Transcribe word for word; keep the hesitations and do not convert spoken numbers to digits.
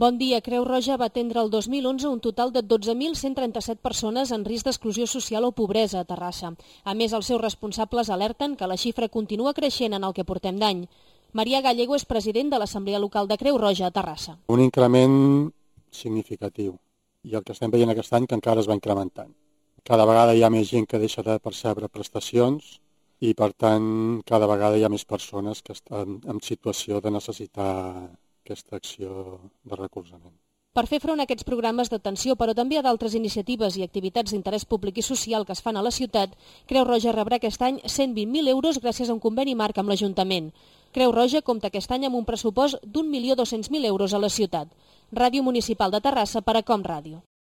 Bon dia. Creu Roja va atendre el dos mil onze un total de dotze mil cent trenta-set persones en risc d'exclusió social o pobresa a Terrassa. A més, els seus responsables alerten que la xifra continua creixent en el que portem d'any. Maria Gallego és president de l'Assemblea Local de Creu Roja a Terrassa. Un increment significatiu i el que estem veient aquest any que encara es va incrementant. Cada vegada hi ha més gent que deixa de percebre prestacions i, per tant, cada vegada hi ha més persones que estan en situació de necessitar aquesta acció de recolzament. Per fer front a aquests programes d'atenció, però també a d'altres iniciatives i activitats d'interès públic i social que es fan a la ciutat, Creu Roja rebrà aquest any cent vint mil euros gràcies a un conveni marc amb l'Ajuntament. Creu Roja compta aquest any amb un pressupost d'un milió dos-cents mil euros a la ciutat. Ràdio Municipal de Terrassa per a Com Ràdio.